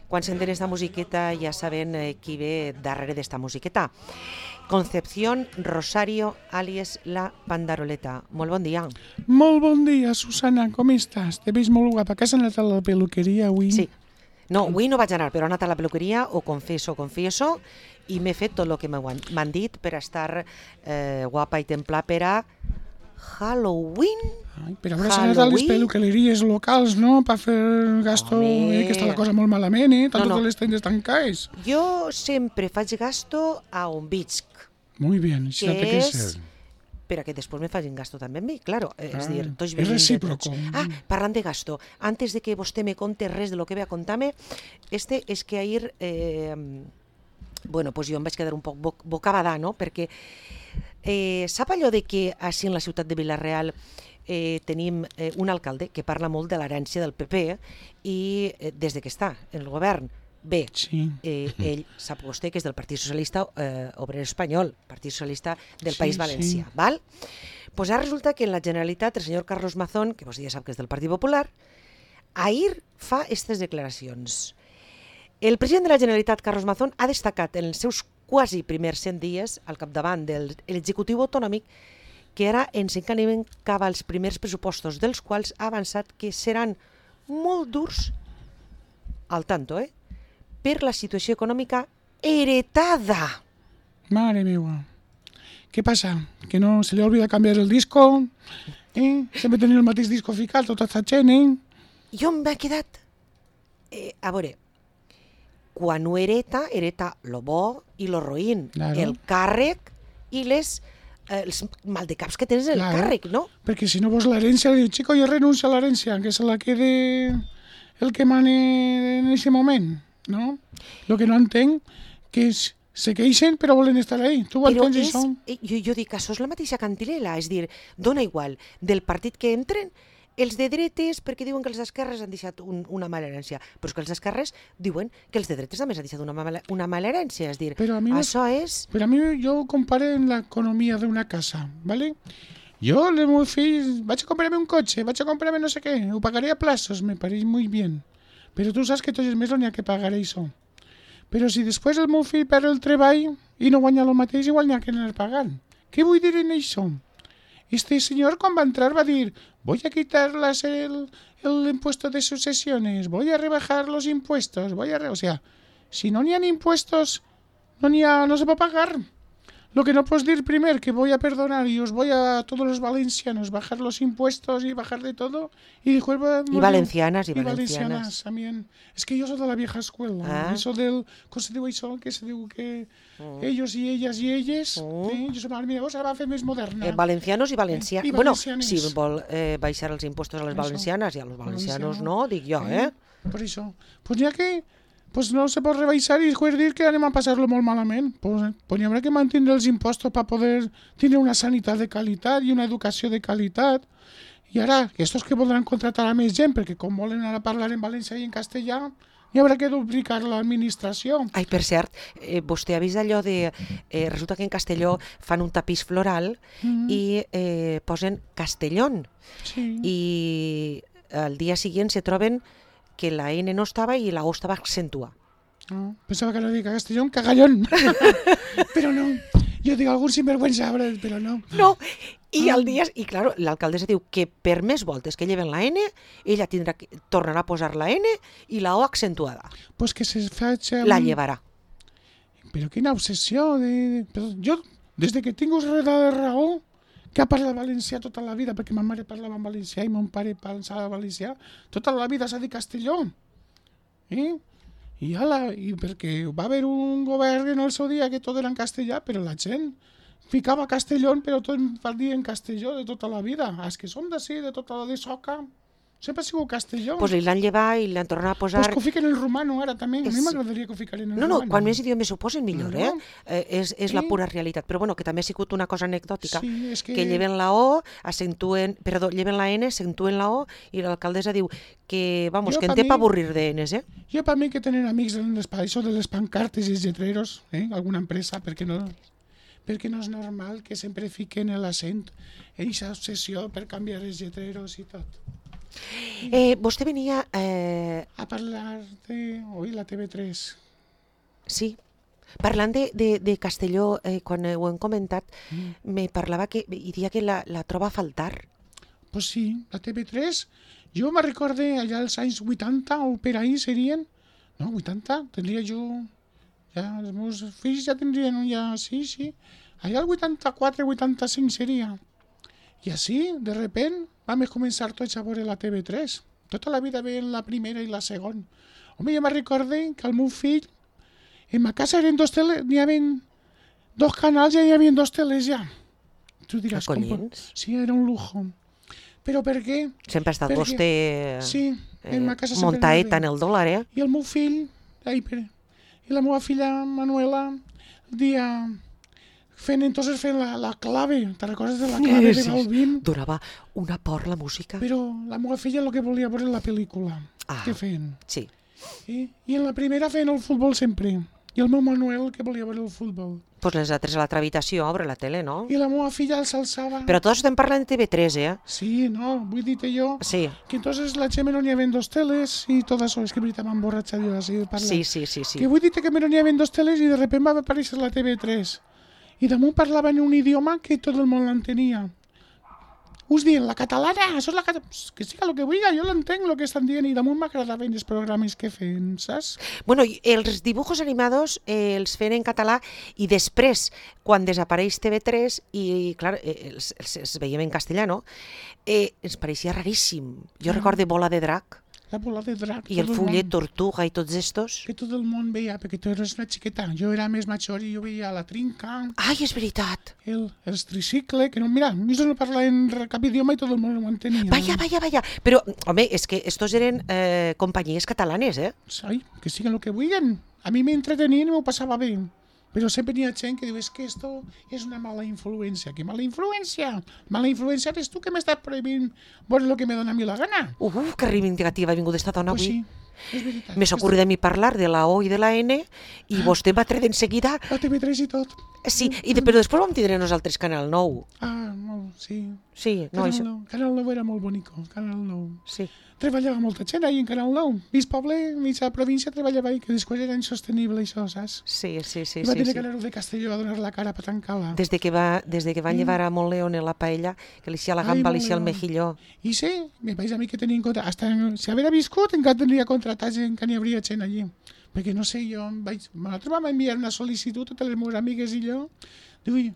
Quan senten esta musiqueta ja saben qui ve darrere d'esta musiqueta. Concepción Rosario, alias La Pandaroleta. Molt bon dia. Molt bon dia, Susana, com estàs? Te veig molt guapa. Que has anat a la peluqueria avui? Sí. No, avui no vaig anar, però he anat a la peluqueria, ho confesso, i m'he fet tot el que m'han dit per estar guapa i templar per a Halloween. Ai, però hauràs anat a les peluqueries locals, no? Per fer gasto, que està la cosa molt malament, totes les tendes tancades. Jo sempre faig gasto a on visc. Muy bien, això té que ser. Per a que després me facin gasto també amb mi, claro. És dir, tots és recíproco. Parlant de gasto, antes de que vostè me conte res de lo que ve a contar-me, és que ahir, pues jo em vaig quedar un poc bocabadà, no? Perquè sap allò de que així en la ciutat de Vila-real tenim un alcalde que parla molt de l'herència del PP i des de que està en el govern, bé, ell sap vostè que és del Partit Socialista Obrer Espanyol, Partit Socialista del País Valencià, val? Pues ara resulta que en la Generalitat el senyor Carlos Mazón, que vostè ja sap que és del Partit Popular, ahir fa aquestes declaracions. El president de la Generalitat, Carlos Mazón, ha destacat en els seus quasi primers 100 dies al capdavant de l'executiu autonòmic que ara ens encanem cap als primers pressupostos, dels quals ha avançat que seran molt durs, al tanto, per la situació econòmica heretada. Mare meva. Què passa? Que no se li olvida canviar el disco? Sempre tenir el mateix disco ficat, tota aquesta gent, Jo m'he quedat... a veure, quan ho hereta lo bo i lo roïn, el càrrec i els maldecaps que tens en el càrrec, no? Perquè si no vols l'herència, diu, chico, jo renuncio a l'herència, que se la quede el que mane en aquest moment, no? Lo que no entenc, que se queixen però volen estar ahí. Tu ho entens, això? Jo dic, això és la mateixa cantilena, és dir, dona igual del partit que entren, els de dretes, perquè diuen que els d'esquerres han deixat una mala herència, però és que els d'esquerres diuen que els de dretes també han deixat una mala herència, és dir, això és... Però a mi jo ho comparo en l'economia d'una casa, ¿vale? Jo, el meu fill, vaig a comprar-me un cotxe, vaig a comprar-me no sé què, ho pagaré a plazos, me pareix muy bien, però tu saps que tots els mesos n'hi ha que pagar això. Però si després el meu fill perd el treball i no guanya el mateix, igual n'hi ha que anar pagant. Què vull dir en això? Este señor quan va entrar va dir, voy a quitar el impuesto de sucesiones, voy a rebajar los impuestos, o sea, si no n'hi ha impuestos, no se va a pagar. Lo que no puedes decir primero que voy a perdonar y os voy a todos los valencianos bajar los impuestos y bajar de todo y después y valencianas también. Es que yo soy de la vieja escuela. Eso del ¿cómo se diu això? Que se diu que ellos y ellas y elles, jo soy mira, vos ara va fer més moderna. Valencianos i valencianes. Bueno, si vol baixar els impostos a les valencianes i a los valencianos no, dic jo, Per això. Pues ja que pues no se pot rebaixar i después dir que anem a passar-lo molt malament. Pues hi haurà que mantenir els impostos per poder tenir una sanitat de qualitat i una educació de qualitat. I ara, estos que voldran contratar a més gent, perquè com volen ara parlar en valencià i en castellà, hi haurà que duplicar l'administració. Ai, per cert, vostè ha vist allò de... resulta que en Castelló fan un tapís floral i posen Castellón. I al dia següent se troben que la N no estava i la O estava accentuada. Pensava que no dic Castellón, Cagallón. Però no. Jo dic algun sinvergüenza, però no. No, i claro, l'alcaldessa diu que per més voltes que lleven la N, ella tornarà a posar la N i la O accentuada. Pues que se faci... La llevarà. Però quina obsessió. Jo, des de que tinc de raó, que ha parlat valencià tota la vida, perquè ma mare parlava en valencià i mon pare parlava valencià, tota la vida s'ha dit Castelló. I perquè va haver un govern en el seu dia que tot era en castellà, però la gent ficava Castelló, però tot va dir en Castelló de tota la vida. Els que som d'ací, de tota la de Soca, sempre ha sigut Castelló. Pues li l'han llevat i l'han tornat a posar... Pues que ho fiquen en romano ara també. A mi m'agradaria que ho fiquin en romano. No, quan més idiomes ho posen millor, És la pura realitat. Però bueno, que també ha sigut una cosa anecdòtica. Sí, és que lleven la O, lleven la N, acentuen la O i l'alcaldessa diu que, vamos, que en té pa avorrir de Ns, Jo per mi que tenen amics en això de les pancartes i els lletreros, alguna empresa, perquè no és normal que sempre fiquen l'accent en aquesta obsessió per canviar els lletreros i tot. Vostè venia... A parlar de... Ui, la TV3. Sí, parlant de Castelló, quan ho hem comentat, me parlava que hi dia que la troba a faltar. Pues sí, la TV3. Jo me recorde allà als anys 80 o per ahí serien... No, 80, tindria jo... Ja, els meus fills ja tindrien ja... Sí. Allà el 84, 85 seria. I així, de repent, vam començar tots a veure la TV3. Tota la vida veient la primera i la segona. Home, jo me recorde que el meu fill, en ma casa eren dos teles, n'hi havia dos canals i hi havia dos teles ja. Tu diràs, Collins? Sí, era un lujo. Però per què? Sempre ha estat vostè Sí, en ma casa sempre montaeta en el dòlar, I el meu fill, i la meva filla Manuela, el dia... fent la clave, te recordes de la clave de Balvin? Durava una por la música. Però la meva filla el que volia veure la pel·lícula que feien. Sí. I en la primera feien el futbol sempre. I el meu Manuel que volia veure el futbol. Pues les altres a l'altra habitació, obre la tele, no? I la meva filla s'alçava. Però tots estem parlant de TV3, Sí, no, vull dir-te jo Sí. que entonces la Gemma no n'hi havia dos teles i tot això, és que veritat m'emborratxa jo així de parlar. Sí. Que vull dir-te que no n'hi havia dos teles i de repente va aparèixer la TV3. I damunt parlava en un idioma que tot el món l'entenia. Us diuen, la catalana, això és la catalana... Que siga el que vulgui, jo l'entenc el que estan dient i damunt m'agradaven els programes que feien, saps? Bueno, els dibujos animados els feien en català i després, quan desapareix TV3 i, clar, els veiem en castellà, no? Ens pareixia raríssim. Jo recordo Bola de Drac La bola de drac. i el Fullet Tortuga i tots estos. Que tot el món veia, perquè tu eres una xiqueta. Jo era més major i jo veia la trinca, Ai, és veritat. els tricicle, que no, mira, ells no parlaven cap idioma i tot el món ho entenia. Vaya. Però, home, és que estos eren companyies catalanes, Ai, que siguen el que vulguin. A mi m'entretenien i m'ho passava bé. Però sempre hi ha gent que diu, que esto és una mala influència. ¿Qué mala influència? Mala influència eres tu que m'estàs prohibint veure el que me dona a mi la gana. Que reivindicativa ha vingut esta dona Pues avui. sí, és veritat. M'he ocorrit a mi parlar de la O i de la N i vostè va treure d'enseguida. La TV3 i tot. Sí, però després vam tindre nosaltres Canal 9. Molt, sí. Sí, no, això... Canal 9 era molt bonico, Canal 9. Sí. Treballava molta gent ahí en Canal 9. Mig poble, mitja província treballava ahí, que després era insostenible això, saps? Sí. I va tenir que anar de Castelló a donar la cara per tancar-la. Des de que van llevar a Montleone la paella, que li la gamba, li el mejilló. I sí, me pareix a mi que tenia en compte, hasta si haguera viscut encara tindria contratat gent que n'hi hauria gent allí. Perquè no sé, nosaltres vam enviar una sol·licitud a totes les meves amigues i jo, diu,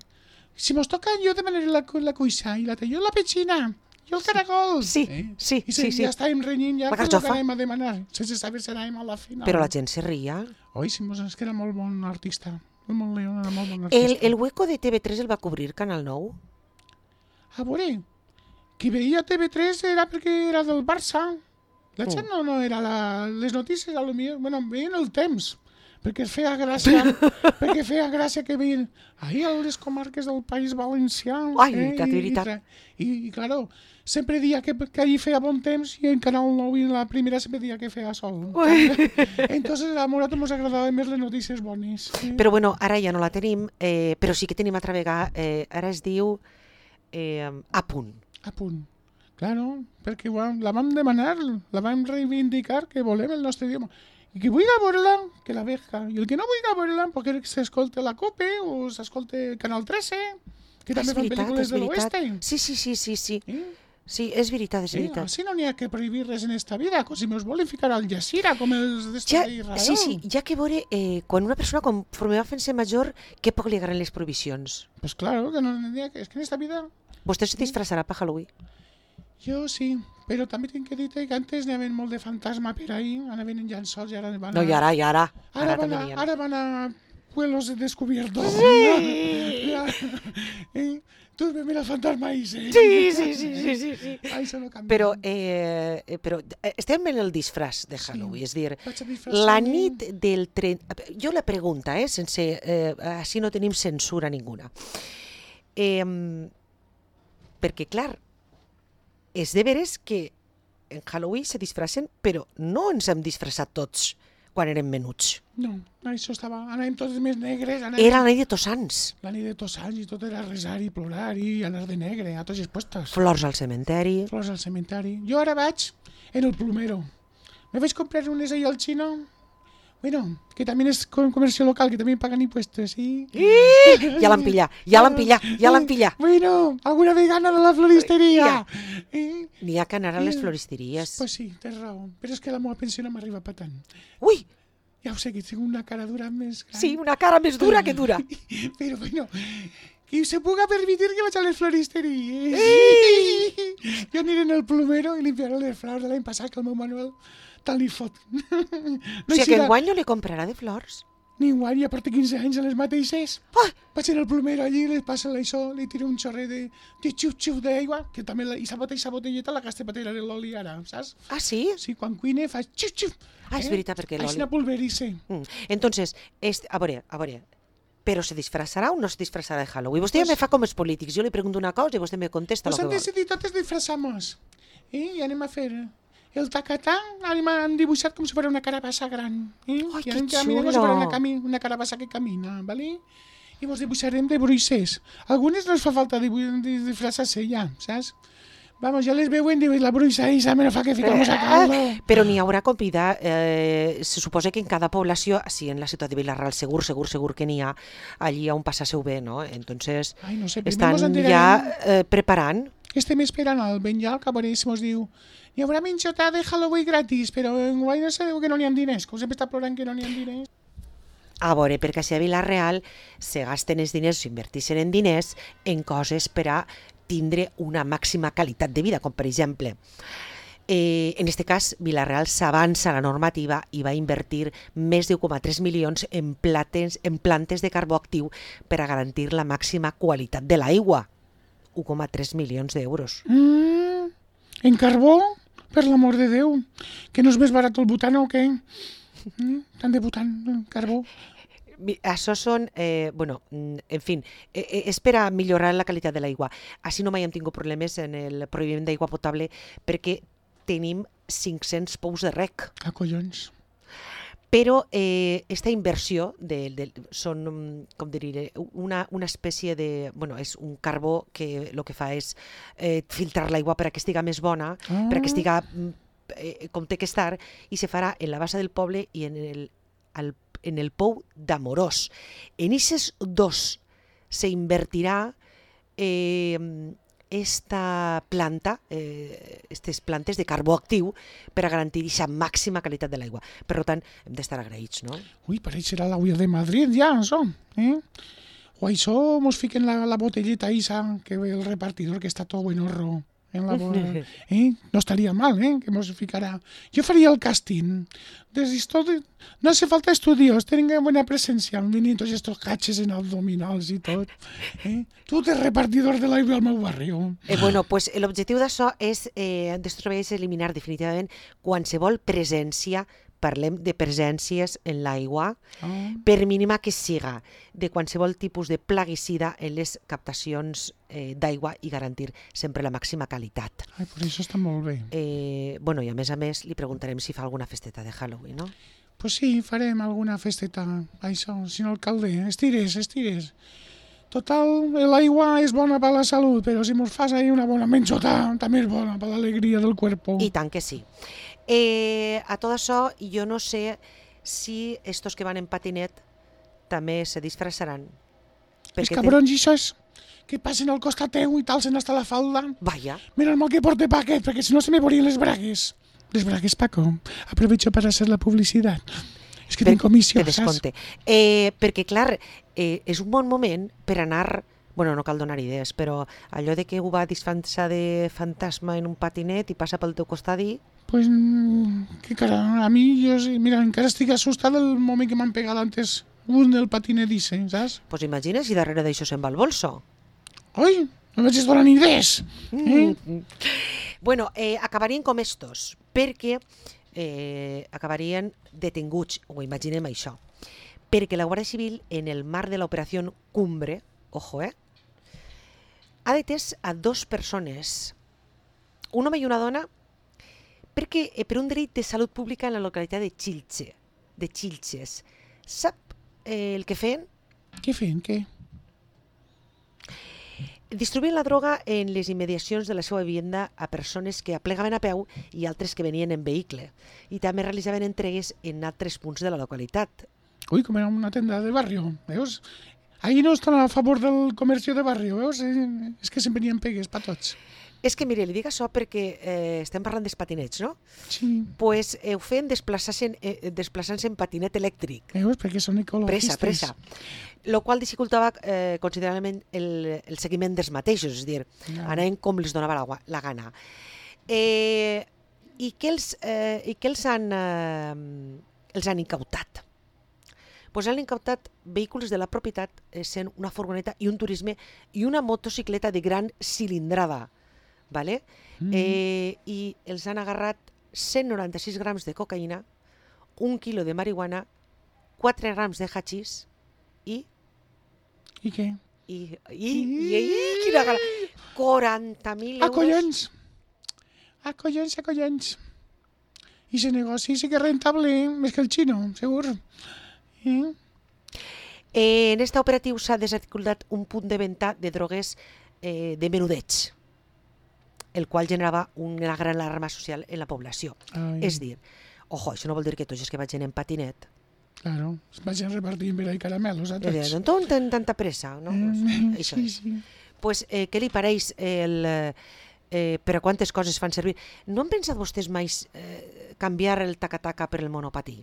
si mos toca jo demanaré la cuixa i jo la petxina. Jo el caragol. Sí. I ja estàvem renyint ja que el que anem a demanar, sense saber si anàvem a la final. Però la gent se ria. Oi, sí, és que era molt bon artista. El Montleón era molt bon artista. El hueco de TV3 el va cobrir Canal 9? A veure, qui veia TV3 era perquè era del Barça. La gent no era les notícies, potser, veien el temps. Perquè feia gràcia que veien ahir a les comarques del País Valencià. Ai, que veritat. I claro, sempre dia que allí feia bon temps i en Canal 9 i la primera sempre dia que feia sol. Entonces a nosaltres ens agradaven més les notícies bones. Però bueno, ara ja no la tenim, però sí que tenim altra vegada, ara es diu A Punt. A Punt. Claro, perquè la vam demanar, la vam reivindicar que volem el nostre idioma. I qui vulgui veure-la, que la veja. I el que no vulgui veure-la, perquè s'escolta la COPE o s'escolta el Canal 13, que també fan pel·lícules de l'Oeste. Sí. Sí, és veritat. Així no n'hi ha que prohibir res en esta vida, com si me'ls volen ficar al Jazira, com els d'Israel. Sí, ja que veure, quan una persona conforme va fent-se major, què poc li agraden les prohibicions? Pues claro, que no n'hi ha, és que en esta vida... Vostè se disfressarà per Halloween? Jo sí, però també tinc que dir que antes n'hi havia molt de fantasma per ahí, anaven en llençols i ara van a... No, i ara. Ara van a pueblos descubiertos. Sí! Tu ves el fantasma ahí, sí. Sí. Ahí se lo canvia. Però estem en el disfraç de Halloween, és dir, Vaig a disfressar-me. la nit del 30... Jo la pregunta, sense... així no tenim censura ninguna. Perquè, clar, és de veres que en Halloween se disfracen, però no ens hem disfressat tots quan érem menuts. No, això estava... Anàvem tots més negres. Era la nit de Tots Sants. La nit de Tots Sants i tot era resar i plorar i anar de negre a tots els puestos. Flors al cementeri. Flors al cementeri. Jo ara vaig en el plomero. Me vaig comprar unes ahí al xino. Bueno, que també és comercio local, que també paguen impuestos, sí. Ja l'han pillat. Bueno, alguna vegana de la floristeria. N'hi ha que anar a les floristeries. Pues sí, tens raó. Però és que la meva pensió no m'arriba per tant. Ui! Ja ho sé, que tinc una cara dura més gran. Sí, una cara més dura que dura. Però bueno, que se puga permitir que vaig a les floristeries. Jo aniré en el plomero i limpiaré les flors de l'any passat, que el meu Manuel tal li fot. O sigui que enguany no li comprarà de flors? Ni enguany, ja porta 15 anys a les mateixes. Ah! Vaig anar al plomero allí, li passa això, li tiro un xorret de xup-xup d'aigua, que també i sa botelleta la gaste per tirar l'oli ara, saps? Ah, sí? Sí, quan cuine fa xup-xup. Ah, és veritat, perquè l'oli... Així pulverice. Entonces, a veure, però se disfrassarà o no se disfrassarà de Halloween? Vostè ja me fa com els polítics, jo li pregunto una cosa i vostè me contesta el que vol. Pues han decidit totes disfrassamos. I anem a fer el tacatà, han dibuixat com si fos una carabassa gran. Ai, que xulo! Com si fos una carabassa que camina, ¿vale? I vos dibuixarem de bruixers. Algunes no es fa falta disfrassar-se ja, saps? Vamos, ja les veuen, diuen, la bruixa esa me la fa que ficamos a caldo. Però n'hi haurà convidar, se suposa que en cada població, sí, en la ciutat de Vilarreal, segur que n'hi ha allí on passar-se-ho bé, no? Entonces, ai, no sé, estan ja preparant. Estem esperant al Benjal, que a veure si mos diu hi haurà menjotà de Halloween gratis, però en guai no sabeu que no n'hi ha diners, que sempre està plorant que no n'hi ha diners. A veure, perquè si a Vilarreal se gasten els diners, s'invertixen en diners, en coses per a tindre una màxima qualitat de vida, com per exemple, en aquest cas, Vilarreal s'avança a la normativa i va invertir més de 1,3 milions en plantes de carbó actiu per a garantir la màxima qualitat de l'aigua. 1,3 milions d'euros. En carbó? Per l'amor de Déu. Que no és més barat el butano o què? Tant de butan, carbó. Això són, en fi, és per a millorar la qualitat de l'aigua. Així no mai hem tingut problemes en el proveïment d'aigua potable perquè tenim 500 pous de rec. Ah, collons. Però aquesta inversió són, com diré, una espècie de... Bueno, és un carbó que el que fa és filtrar l'aigua per a que estiga més bona, per a que estiga com té que estar, i se farà en la bassa del poble i en el pou d'Amorós. En aquests dos se invertirà esta planta, aquestes plantes de carbó actiu per a garantir aquesta màxima qualitat de l'aigua. Per tant, hem d'estar agraïts, no? Ui, pareixerà l'Agulla de Madrid ja, això. O això mos fiquen la botelleta esa que ve el repartidor que està tot buenorro. No estaria mal, que mos ficarà. Jo faria el càsting. No hace falta estudios, tienen buena presencia. Vienen tots estos caches en abdominals i tot. Tu ets repartidor de l'aigua al meu barri. Pues l'objectiu d'això és eliminar definitivament qualsevol presència, parlem de presències en l'aigua, per mínima que siga, de qualsevol tipus de plaguicida en les captacions d'aigua i garantir sempre la màxima qualitat. Ai, per això està molt bé. I a més li preguntarem si fa alguna festeta de Halloween, no? Pues sí, farem alguna festeta, això, senyor alcalde, estires. Total, l'aigua és bona per la salut, però si mos fas ahí una bona menjota, també és bona per l'alegria del cuerpo. I tant que sí. A tot això, jo no sé si estos que van en patinet també se disfressaran. Els cabrons i això que passen al costat teu i talsen hasta la falda. Vaya. Mira el mal que porte paquet, perquè si no se me vorien les bragues. Les bragues, Paco. Aprovecho para hacer la publicitat. És que tinc comissió, saps? Perquè, clar, és un bon moment per anar... Bueno, no cal donar idees, però allò de que ho va disfressar de fantasma en un patinet i passa pel teu costat i... Pues, que cara, a mi, mira, encara estic assustat del moment que m'han pegat antes un del patinet dice, saps? Pues imagina si darrere d'això se'n va el bolso. Oi, no vaig donar ni idees. Bueno, acabarien com estos, perquè acabarien detinguts, o imaginem això, perquè la Guàrdia Civil, en el marc de l'operació Cumbre, ojo, ha detès a 2 persones, un home i una dona, perquè per un delit de salut pública en la localitat de Xilxe, de Xilxes. Sap el que feien? Què feien, què? Distribuïen la droga en les immediacions de la seva vivienda a persones que aplegaven a peu i altres que venien en vehicle. I també realitzaven entregues en altres punts de la localitat. Ui, com era una tenda de barrio, veus? Ahí no estan a favor del comercio de barrio, veus? És que sempre n'hi ha pegues per tots. És que, mire, li dic això perquè estem parlant dels patinets, no? Sí. Pues ho feien desplaçant-se en patinet elèctric. Veus? Perquè són ecologistes. Pressa. Lo qual dificultava considerablement el seguiment dels mateixos, és a dir, anaven com els donava la gana. I què els han incautat? Pues han incautat vehicles de la propietat, sent una furgoneta i un turisme i una motocicleta de gran cilindrada. Vale? I els han agarrat 196 grams de cocaïna, 1 quilo de marihuana, 4 grams de hachís i... I què? Quina gana! 40.000 euros. Acollons. I ese negoci sí que és rentable, més que el xino, segur. En este operatiu s'ha desarticulat un punt de venda de drogues de menudeig, el qual generava una gran alarma social en la població. És dir, ojo, això no vol dir que tots els que vagin en patinet... Claro, es vagin repartint per ahí caramelos a tots. No tenen tanta pressa, no? Això és. Pues, què li pareix per a quantes coses fan servir? No han pensat vostès mai canviar el taca-taca per el monopatí?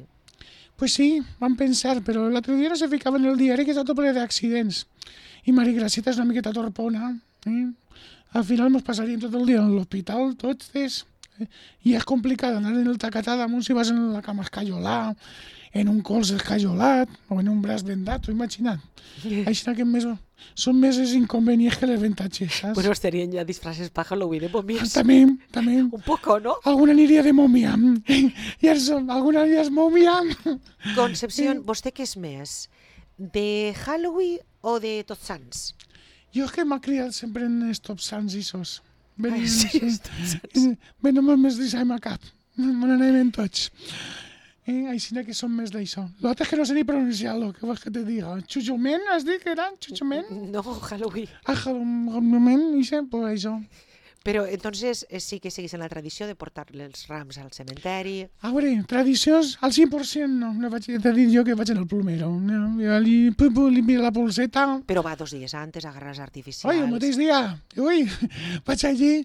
Pues sí, van pensar, però l'altre dia no se ficava en el diari que està tot ple d'accidents. I Mari Graceta és una miqueta torpona. Al final ens passaríem tot el dia a l'hospital, tots. I és complicat anar en el tacatà damunt si vas en la cama escaiolar, en un colze escaiolat o en un braç vendat, t'ho imagina't. Així que són més els inconvenients que les avantatges, saps? Bueno, estarien ja disfraces para Halloween de momies. També. Un poco, ¿no? Alguna aniria de mòmia. Alguna aniria de mòmia. Concepción, vostè què és més? De Halloween o de Tots Sants? Jo és que m'ha criat sempre en els Tots Sants i sos. Venim molt més d'això a cap. Me n'anem tots. Així que som més d'això. L'altre és que no sé ni pronunciar-lo, què vols que te diga? Xuxument, has dit que era? Xuxument? No, Halloween. Halloween, pues això. Però entonces sí que seguís en la tradició de portar els rams al cementeri. A veure, tradicions al 100% no vaig a dir jo que vaig al plomero. Li miro la polseta. Però va 2 dies antes a agarrar els artificials. Oi, el mateix dia. Ui, vaig allí,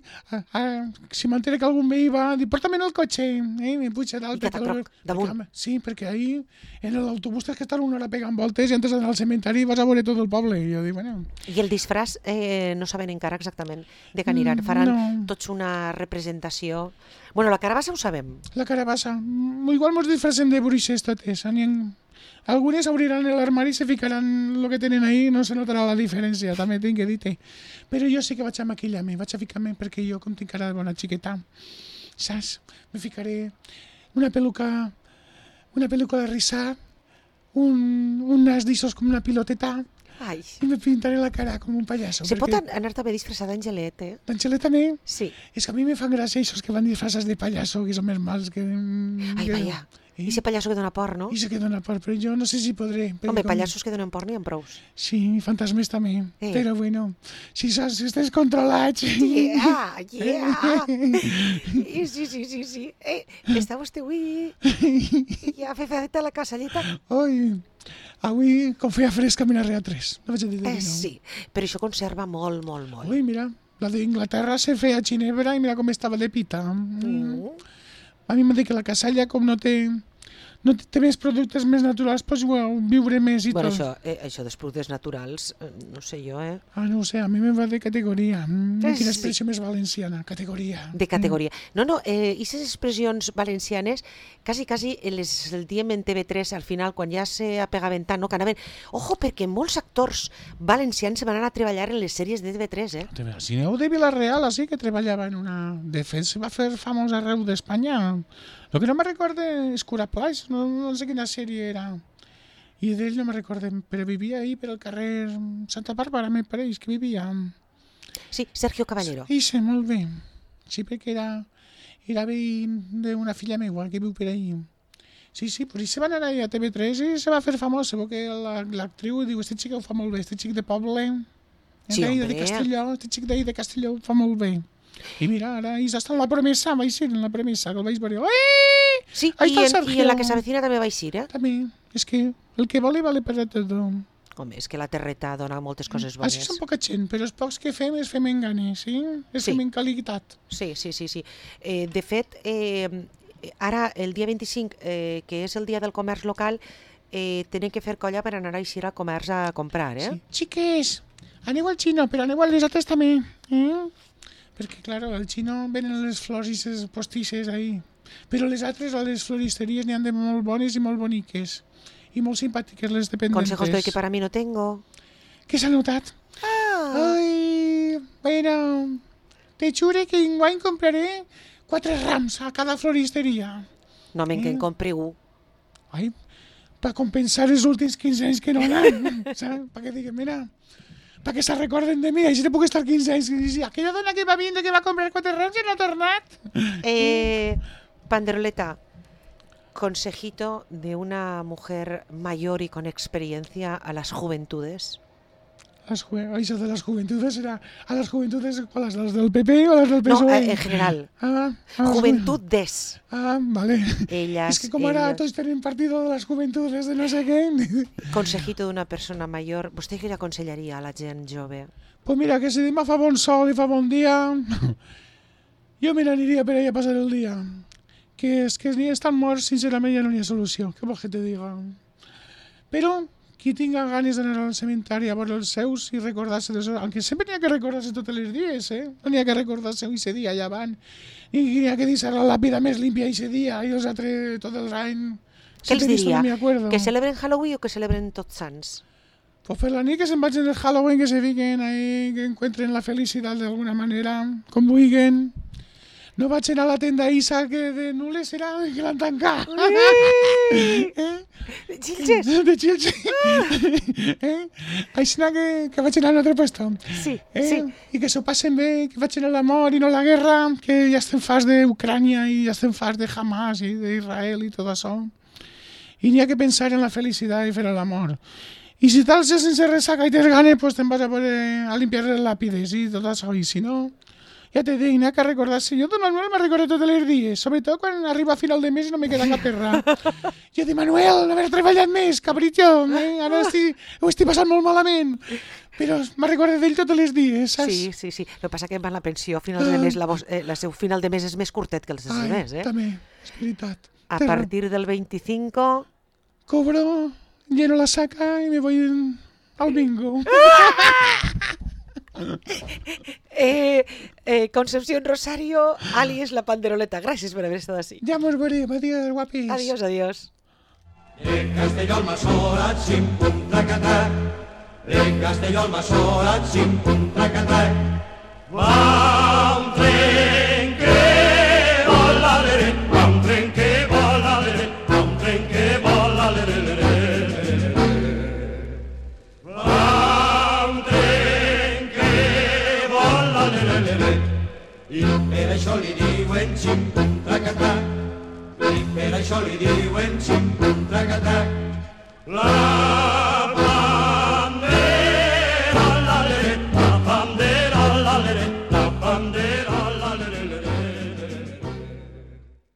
si m'entere que algun veí va, dic, porta'm en el cotxe. Me puja dalt. I catacroc, damunt. Sí, perquè ahí en l'autobús tens que estar una hora pegant voltes i antes d'anar al cementeri vas a veure tot el poble. I jo dic, bueno... I el disfraç no saben encara exactament de què aniran. Faran tots una representació... Bueno, la carabassa ho sabem. La carabassa. Igual mos disfracem de bruixes totes. Algunes obriran l'armari i se ficaran el que tenen ahí, no se notarà la diferència, també tinc que dir-te. Però jo sí que vaig a maquillar-me, vaig a ficar-me perquè jo com tinc cara de bona xiqueta, saps? Me ficaré una peluca de rissar, un nas d'issos com una piloteta. Ai. I me pintaré la cara com un pallasso. Se pot anar també disfressada d'Angelet, D'Angelet també? Sí. És que a mi me fan gràcia aquests que van disfressats de pallasso, que són més mals que... Ai, vaja. I ese pallasso que dona por, no? I ese que dona por, però jo no sé si podré. Home, pallassos que donen por n'hi ha prous. Sí, i fantasmes també. Però bueno, si estàs controlats... Yeah! Sí. Està vostè avui ja feta la casalleta? Oi, avui com feia fresca me n'arrega 3. No vaig a dir de no. Sí, però això conserva molt. Ui, mira, la d'Inglaterra se feia a Ginebra i mira com estava de pita. A mi m'ha dit que la casalla, com no té més productes més naturals, doncs viure més i bueno, tot. Això dels productes naturals, no sé jo, no ho sé, a mi me va de categoria. Quina expressió més valenciana, categoria. De categoria. No, i aquestes expressions valencianes, quasi les diem en TV3 al final, quan ja s'apegaven tant, no, que anaven... Ojo, perquè molts actors valencians se van anar a treballar en les sèries de TV3, Si aneu de Vila-real, així que treballava en una... De fet, se va fer famós arreu d'Espanya. El que no me recorde és Curaplais, no sé quina sèrie era. I d'ell no me recorde, però vivia ahí per al carrer Santa Bàrbara, me pareix que vivia. Sí, Sergio Caballero. Sí, molt bé. Sí, perquè era veí d'una filla meva que viu per ahí. Sí, pues i se van anar a TV3 i se va fer famosa, perquè l'actriu diu, este xic ho fa molt bé, este xic de poble, Sí, de hombre. Castelló, este xic d'ahir de Castelló ho fa molt bé. I mira, ara ja està en la promesa, vaig ser en la promesa, que el vaig veure. Sí, Ahí i està el en Sergio. la que s'avecina també va eixir, eh? També, és que el que vale per a tot. Home, és que la terreta dona moltes coses bones. Així són poca gent, però els pocs que fem els fem en ganes, sí? Els fem en qualitat. Sí. De fet, ara, el dia 25, que és el dia del comerç local, tenen que fer colla per anar a eixir al comerç a comprar, eh? Sí. Xiques, aneu al xino, però aneu a les altres també, Perquè, clar, al xino venen les flors i les postisses ahí. Però les altres, a les floristeries, n'hi ha de molt bones i molt boniques. I molt simpàtiques les dependentes. Consejos doy que para mí no tengo. Què s'ha notat? Ai, bueno, te jure que enguany compraré 4 rams a cada floristeria. No me'n que en compri un. Ai, per compensar els últims 15 anys que no anant, saps? Perquè diguen, mira, perquè se recorden de mi, així no puc estar 15 anys i dir, aquella dona que va vindre que va comprar 4 rams ja no ha tornat. Panderoleta, consejito de una mujer mayor y con experiencia a las juventudes. Això de les juventudes serà a les juventudes, ¿cuáles? ¿Las del PP o las del No, PSOE? en general. Juventudes. Vale. Ellas, es que como ahora todos tienen partido de las juventudes de no sé qué. Consejito d'una persona major, vostè què li aconsellaria a la gent jove? Pues mira, que si demà fa bon sol i fa bon dia, jo me n'aniria per allà a passar el dia. Que és que ni estan morts, sincerament ja no hi ha solució. Què vols que te diga? Però qui tinga ganes d'anar al cementari a veure els seus i recordar-se d'això, aunque sempre n'hi ha que recordar-se tots els dies, no n'hi ha que recordar-se aquest dia allà van, ni n'hi ha que deixar la làpida més límpia aquest dia i els altres tot el any. Què els diria? Que celebren Halloween o que celebren Tots Sants? Pues per la nit que se'n vagin el Halloween, que se fiquen ahí, que encuentren la felicitat d'alguna manera, com vulguin. No vaig anar a la tenda Isa, que de nules serà que l'han tancat. De Xilxes? De Xilxes. Així que vaig anar a un altre puesto. Sí. I que s'ho passen bé, que vaig anar a l'amor i no a la guerra, que ja estem farts d'Ucrània i ja estem farts de Hamas i d'Israel i tot això. I n'hi ha que pensar en la felicitat i fer l'amor. I si tal ja sense ressaca i tens ganes, pues te'n vas a limpiar les làpides i tot això. I si no, ja te dic, n'hi ha que recordar-se. Jo, don Manuel, me recordo tots els dies, sobretot quan arriba a final de mes i no me queda cap terra. Jo dic, Manuel, no haver treballat més, cabritxo, ara ho estic passant molt malament. Però me recordo d'ell tots els dies, saps? Sí. El que passa que amb la pensió a final de mes, la seu final de mes és més curtet que els altres, també, és veritat. A partir del 25... Cobro, lleno la saca y me voy al bingo. Concepción Rosario, alias La Panderoleta. Gràcies per haver estat així. Ja mos veurem. Adiós, guapis. Adiós. De Castelló al Massorat, xim-pum, trac-a-trac. De Castelló al Massorat, xim-pum, trac-a-trac. Va un tren que vola, l'ere, va un tren que vola, l'ere, va un tren que vola, l'ere, l'ere. Va un tren que vola, l'ere, l'ere. I per això li diuen xim-pum, trac-a-trac. I per això li diuen xim-pum, trac-a-trac. La